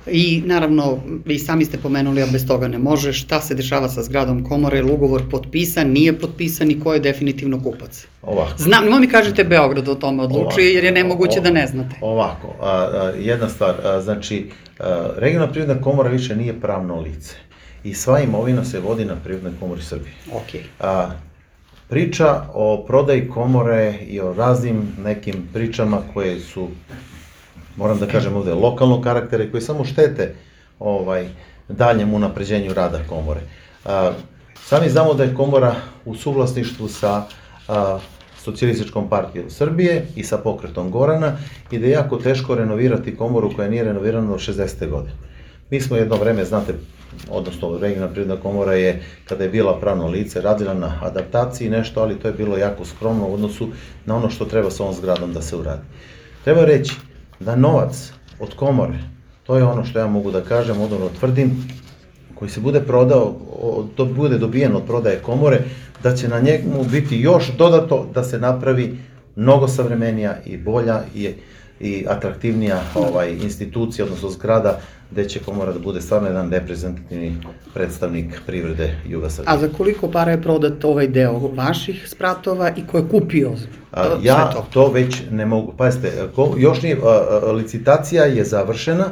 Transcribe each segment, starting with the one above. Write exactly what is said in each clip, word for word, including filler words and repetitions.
I naravno, vi sami ste pomenuli, a bez toga ne može, šta se dešava sa zgradom komore, ili ugovor potpisan, nije potpisan i ko je definitivno kupac? Ovako. Znam, nemoj mi kažete Beograd o tome odlučuje, jer je nemoguće da ne znate. Ovako, jedna stvar, znači, Regionalna privredna komora više nije pravno lice i sva imovina se vodi na Privrednoj komori Srbije. Okej. Priča o prodaji komore i o raznim nekim pričama koje su, moram da kažem ovde, lokalnog karaktera i koje samo štete daljem unapređenju rada komore. Sami znamo da je komora u suvlasništvu sa Socijalističkom partijom Srbije i sa Pokretom Gorana i da je jako teško renovirati komoru koja nije renovirana od šezdesete godine. Mi smo jedno vreme, znate, odnosno Regionalna privredna komora je, kada je bila pravno lice, radila na adaptaciji nešto, ali to je bilo jako skromno u odnosu na ono što treba sa ovom zgradom da se uradi. Treba reći da novac od komore, to je ono što ja mogu da kažem, odnosno tvrdim, koji se bude prodao, to bude dobijen od prodaje komore, da će na njemu biti još dodato da se napravi mnogo savremenija i bolja i atraktivnija institucija, odnosno zgrada, gde će komora da bude stvarno jedan reprezentativni predstavnik privrede Juga Srbije. A za koliko para je prodat ovaj deo vaših spratova i ko je kupio sve to? Ja to već ne mogu, pazite, još nije, licitacija je završena,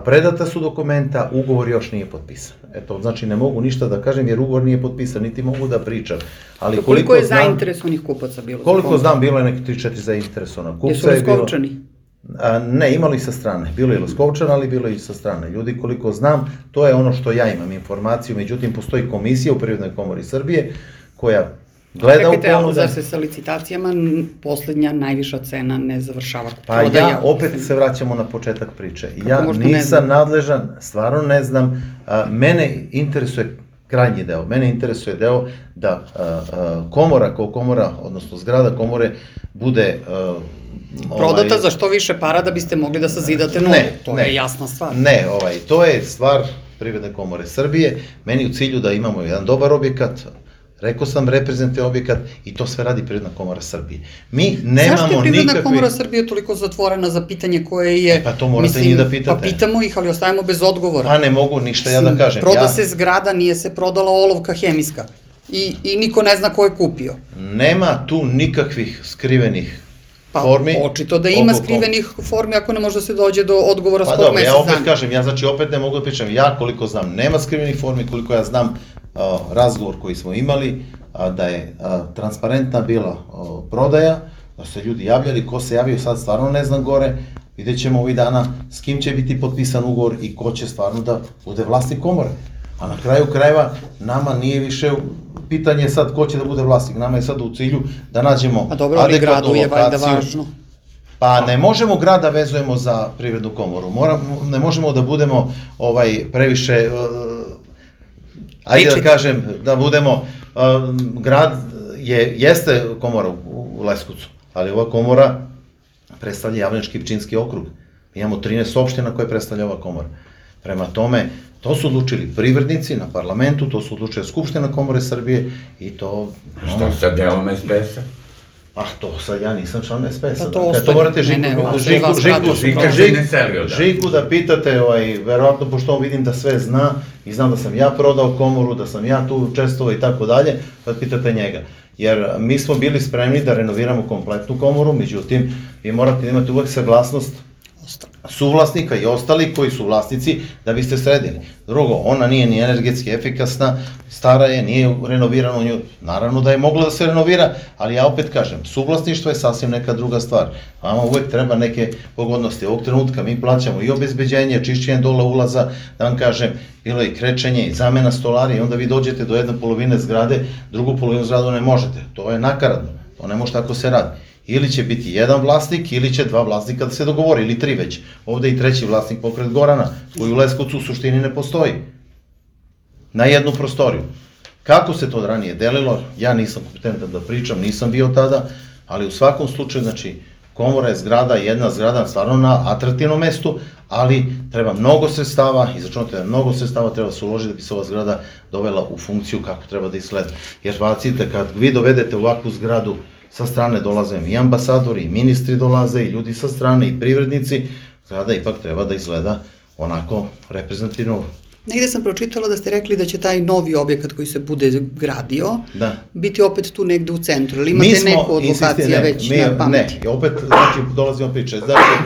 predata su dokumenta, ugovor još nije potpisan. Eto, znači ne mogu ništa da kažem jer ugovor nije potpisan, niti mogu da pričam. Koliko je zainteresovanih kupaca bilo? Koliko znam, bilo je neki tri četiri zainteresovana kupca. Jesu Leskovčani? Ne, imali sa strane. Bilo je Leskovčana, ali bilo je i sa strane. Ljudi, koliko znam, to je ono što ja imam informaciju, međutim, postoji komisija u Privrednoj komori Srbije koja gleda u ponude. Čekajte, ali zar se sa licitacijama poslednja najviša cena ne završava? Pa ja, opet se vraćamo na početak priče. Ja nisam nadležan, stvarno ne znam, mene interesuje krajnji deo. Mene interesuje deo da komora kao komora, odnosno zgrada komore, bude prodata za što više para da biste mogli da sazidate novu. To je jasna stvar. Ne, to je stvar Privredne komore Srbije. Meni u cilju da imamo jedan dobar objekat, rekao sam reprezentativni objekat i to sve radi Privredna komora Srbije. Mi nemamo nikakve... Zašto je Privredna komora Srbije toliko zatvorena za pitanje koje je... Pa to morate njih da pitate. Pa pitamo ih, ali ostajemo bez odgovora. Pa ne mogu ništa ja da kažem. Proda se zgrada, nije se prodala olovka hemijska. I niko ne zna ko je kupio. Nema tu nikakvih skrivenih formi. Pa očito da ima skrivenih formi ako ne može da se dođe do odgovora skoro mesec dana. Pa dobro, ja opet kažem, ja znači opet ne mogu da pričam. Ja koliko znam, nema skrivenih formi, koliko ja znam razgovor koji smo imali, da je transparentna bila prodaja, da su se ljudi javljali, ko se javio sad stvarno ne znam gore, vidjet ćemo ovih dana s kim će biti potpisan ugovor i ko će stvarno da bude vlasnik komore. A na kraju krajeva nama nije više pitanje sad ko će da bude vlasnik, nama je sad u cilju da nađemo adekvatnu lokaciju. Pa ne možemo grad da vezujemo za Privrednu komoru, ne možemo da budemo previše, ajde da kažem, da budemo, grad jeste komora u Leskovcu, ali ova komora predstavlja Javnički i Pčinjski okrug. Mi imamo trinaest opština koje predstavlja ova komora. Prema tome, to su odlučili privrednici na parlamentu, to su odlučili Skupština komore Srbije i to... Što sa delom es pe es-a? Ah, to sad ja nisam član es pe es-a. Pa to ostaje, ne, ne, Žiku da pitate, verovatno, pošto on vidim da sve zna i znam da sam ja prodao komoru, da sam ja tu učestvovao i tako dalje, pa pitate njega. Jer mi smo bili spremni da renoviramo kompletnu komoru, međutim, vi morate imati uvek saglasnost suvlasnika i ostali koji su vlasnici da biste sredili. Drugo, ona nije ni energetski efikasna, stara je, nije renovirana u nju, naravno da je mogla da se renovira, ali ja opet kažem, suvlasništvo je sasvim neka druga stvar. Vama uvek treba neke pogodnosti. Ovog trenutka mi plaćamo i obezbeđenje, čišćenje dole ulaza, da vam kažem, bilo i krečenje i zamena stolarije i onda vi dođete do jedne polovine zgrade, drugu polovinu zgradu ne možete. To je nakaradno, to ne može tako se radi. Ili će biti jedan vlasnik, ili će dva vlasnika da se dogovori, ili tri već. Ovde i treći vlasnik Pokret Gorana, koji u Leskovcu u suštini ne postoji. Na jednu prostoriju. Kako se to ranije delilo, ja nisam kompetentan da pričam, nisam bio tada, ali u svakom slučaju, znači, komora je zgrada, jedna zgrada, stvarno na atraktivnom mestu, ali treba mnogo sredstava, izračunate da mnogo sredstava treba se uložiti da bi se ova zgrada dovela u funkciju kako treba da izgleda. Jer bacite, kad vi dovedete ovakvu zgradu, sa strane dolaze i ambasadori, i ministri dolaze, i ljudi sa strane, i privrednici, zgrada ipak treba da izgleda onako reprezentativno. Negde sam pročitala da ste rekli da će taj novi objekat koji se bude gradio Da. biti opet tu negde u centru, ili imate Mi smo, neku od insistirali, lokacija ne, već mi, na pameti? Ne, opet, znači, dolazimo priče. Znači,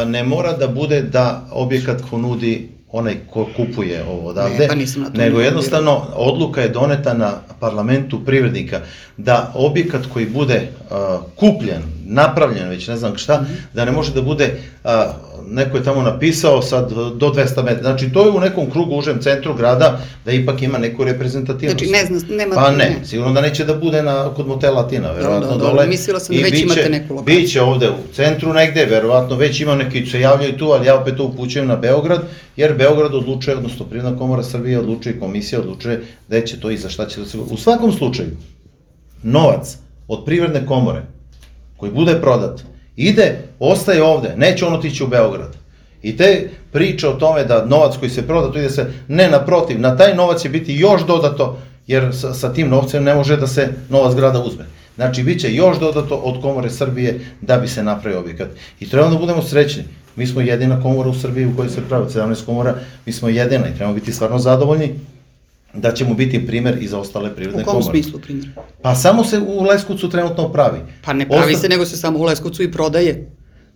ne mora da bude da objekat ko nudi onaj ko kupuje ovo odavde, Ne, pa nisam na to nego ne jednostavno odluka je doneta na parlamentu privrednika da objekat koji bude uh, kupljen, napravljen, već ne znam šta, da ne može da bude, uh, neko je tamo napisao sad do dvesta metara, znači to je u nekom krugu užem centru grada da ipak ima neku reprezentativnost. Znači ne znam, nema... Pa ne, sigurno da neće da bude na, kod motela Latina, verovatno Dobro, dobro, dole. mislila sam da I već biće- imate neku lokaciju. Biće ovde u centru negde, verovatno već ima neki se javljaju tu, ali ja opet to upućujem na Beograd, jer Beograd odlučuje, odnosno Privredna komora Srbije odlučuje, komisija odlučuje gde će to i za šta će da se... U svakom slučaju, novac od Privredne komore koji bude prodat, ide, ostaje ovde, neće on otići u Beograd. I te priče o tome da novac koji se proda, to ide se, ne, naprotiv, na taj novac će biti još dodato, jer sa, sa tim novcem ne može da se novac grada uzme. Znači, bit će još dodato od Komore Srbije da bi se napravio objekat. I treba da budemo srećni. Mi smo jedina komora u Srbiji u kojoj se pravi sedamnaest komora, mi smo jedina i trebamo biti stvarno zadovoljni da ćemo biti primer i za ostale privredne U kom komore. smislu, primjer? Pa samo se u Leskovcu trenutno pravi. Pa ne pravi Osta- se, nego se samo u Leskovcu i prodaje.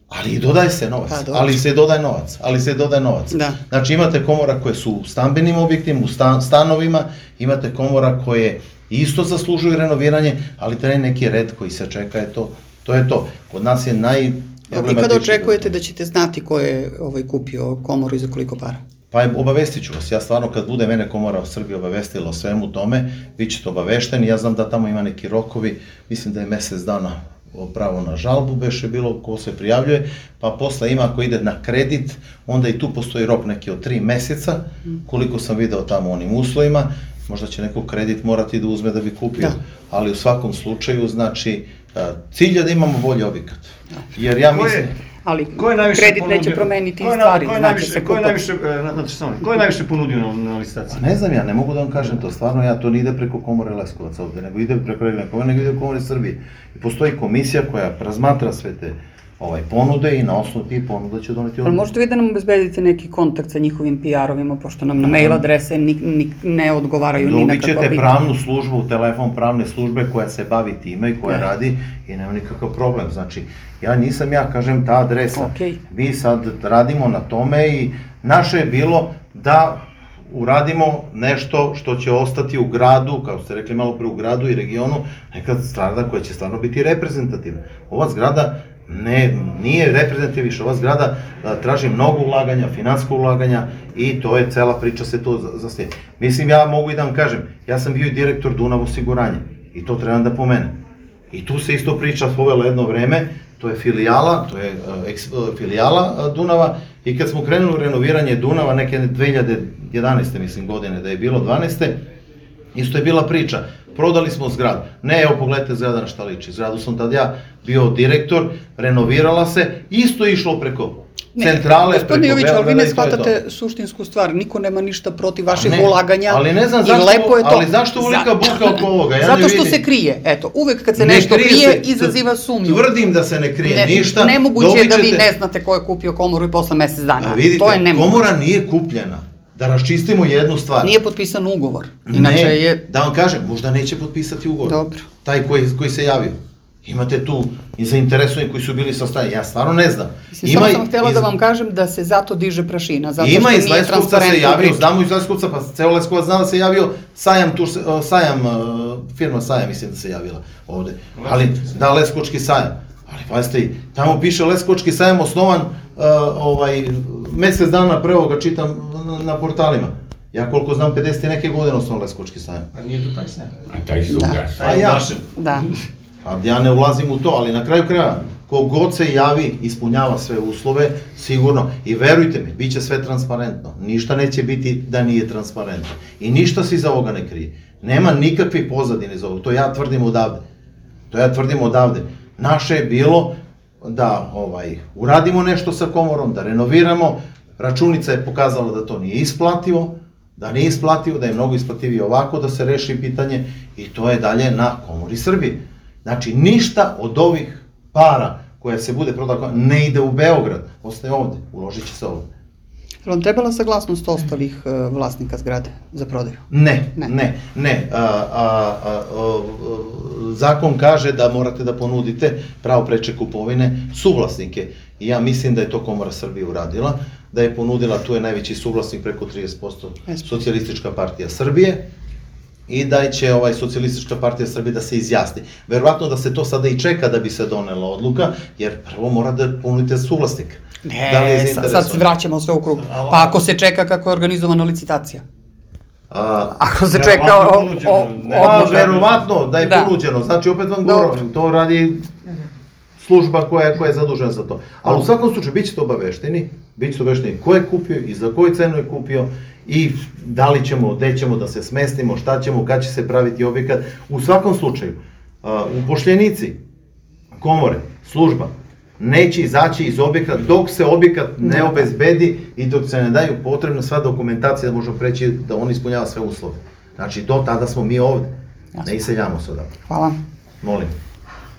Ali i dodaje se novac, Pa, dobro. ali se dodaje novac, ali se dodaje novac. Da. Znači imate komora koje su u stambenim objektima, u stan, stanovima, imate komora koje isto zaslužuju renoviranje, ali taj neki red koji se čeka je to, to je to. Kod nas je naj... Dobro, i kada očekujete da ćete znati ko je ovaj, kupio komoru i za koliko para? Pa obavestit ću vas, ja stvarno kad bude mene Komora u Srbiji obavestila o svemu tome, vi ćete obavešteni, ja znam da tamo ima neki rokovi, mislim da je mesec dana pravo na žalbu, beše bilo ko se prijavljuje, pa posle ima ako ide na kredit, onda i tu postoji rok neki od tri meseca, koliko sam video tamo u onim uslovima, možda će neko kredit morati da uzme da bi kupio, Da. ali u svakom slučaju, znači, cilj je da imamo bolji objekat. Jer ja Ko je- mislim... Ali Ko je najviše kredit neće ponudio- promeniti ko je na- stvari, ko je znači najviše- se Ko je kupa. najviše, e, na- znači, samo, ko je najviše ponudio na, na licitaciji? Pa ne znam ja, ne mogu da vam kažem to, stvarno ja, to ne ide preko Komore Leskovac ovde, nego ide preko Regionalne komore, nego ide u Komore Srbije. I postoji komisija koja razmatra sve te ovaj, ponude i na osnovu tih ponuda će doneti Ali odluku. možete vi da nam obezbedite neki kontakt sa njihovim P R-ovima, pošto nam na mail adrese ni, ni, ne odgovaraju ni na Dobit kakva ćete pitanja. pravnu službu, telefon pravne službe koja se bavi time i koja Da. radi i nema nikakav problem. Znači, ja nisam ja, kažem, ta adresa. Okej. Mi sad radimo na tome i naše je bilo da uradimo nešto što će ostati u gradu, kao ste rekli malo pre, u gradu i regionu, neka zgrada koja će stvarno biti reprezentativna. Ova zgrada ne, nije reprezentativna više, ova zgrada a, traži mnogo ulaganja, finansko ulaganja i to je cela priča se to za- zaslijedi. Mislim, ja mogu i da vam kažem, ja sam bio i direktor Dunav osiguranja i to trebam da pomenem. I tu se isto priča povela jedno vreme, to je filijala, to je uh, eks, uh, filijala uh, Dunava i kad smo krenuli u renoviranje Dunava neke dve hiljade jedanaeste mislim godine da je bilo dvanaeste, isto je bila priča, prodali smo zgradu, ne evo pogledajte zgrada na šta liči, zgradu sam tad ja bio direktor, renovirala se, isto je išlo preko centrale, preko Gospodine Jović, ali vi Beograda ne i to je to. shvatate suštinsku stvar, niko nema ništa protiv vaših Ne, ulaganja. ali ne znam i zašto- lepo je to. ali zašto ovolika buka oko ovoga? Ja ne Zato što vidim. se krije, eto, uvek kad se Ne nešto krije krije, se, izaziva sumnju. Tvrdim da se ne krije Ne- ništa. Nemoguće je dobit da vi ćete- ne znate ko je kupio komoru i posle mesec dana. A vidite, to je nemoguće. komora nije kupljena. Da raščistimo jednu stvar. Nije potpisan ugovor. Inače ne, je... da vam kažem, možda neće potpisati ugovor. Dobro. Taj koji, koji se javio. Imate tu i zainteresovani koji su bili sa strane. Ja stvarno ne znam. Mislim, samo sam htjela da vam kažem da se zato diže prašina, zato Ima što iz nije Leskovca se transparentno javio, priča. znamo iz Leskovca, pa ceo Leskovac zna da se javio, Sajam, tu, se- o, Sajam, e, firma Sajam mislim da se javila ovde. Ali, da, Leskovački Sajam. Ali pazite, tamo piše Leskovački Sajam osnovan e, ovaj, mesec dana pre ovoga čitam na, na portalima. Ja koliko znam, pedeset i neke godine osnovan Leskovački Sajam. A nije to taj sen. A taj su Da. ugas. A ja, Da. a ja ne ulazim u to, ali na kraju kraja, kogod se javi, ispunjava sve uslove, sigurno. I verujte mi, bit će sve transparentno. Ništa neće biti da nije transparentno. I ništa se iza ovoga ne krije. Nema nikakve pozadine iza ovoga. To ja tvrdim odavde. To ja tvrdim odavde. Naše je bilo da ovaj, uradimo nešto sa komorom, da renoviramo. Računica je pokazala da to nije isplativo, da nije isplativo, da je mnogo isplativije ovako, da se reši pitanje i to je dalje na Komori Srbije. Znači, ništa od ovih para koja se bude prodala ne ide u Beograd, ostaje ovde, uložit će se ovde. Je vam trebala saglasnost ostalih e, vlasnika zgrade za prodaju? Ne, Ne. ne, ne. A, a, a, a, zakon kaže da morate da ponudite pravo preče kupovine suvlasnike. I ja mislim da je to Komora Srbije uradila, da je ponudila, tu je najveći suvlasnik preko trideset posto Socijalistička partija Srbije, i da će ovaj Socijalistička partija Srbije da se izjasni. Verovatno da se to sada i čeka da bi se donela odluka, jer prvo mora da ponudite suvlasnika. Da li je Ne, sad, sad zainteresovan? se vraćamo sve u krug. Pa ako se čeka kako je organizovana licitacija? A, Ako se Verovatno čeka o, ponuđeno, o, ne. Pa, odluka- verovatno da je Da. ponuđeno, znači opet vam Dobro. govorim, to radi služba koja, koja je zadužena za to. Ali u svakom slučaju bit ćete obavešteni, bit ćete obavešteni ko je kupio i za koju cenu je kupio i da li ćemo, gde ćemo da se smestimo, šta ćemo, kad će se praviti objekat. U svakom slučaju, a, upošljenici, komore, služba, neće izaći iz objekta dok se objekat ne obezbedi i dok se ne daju potrebna sva dokumentacija da možemo preći da on ispunjava sve uslove. Znači, do tada smo mi ovde, ne iseljamo se odavde. Hvala. Molim.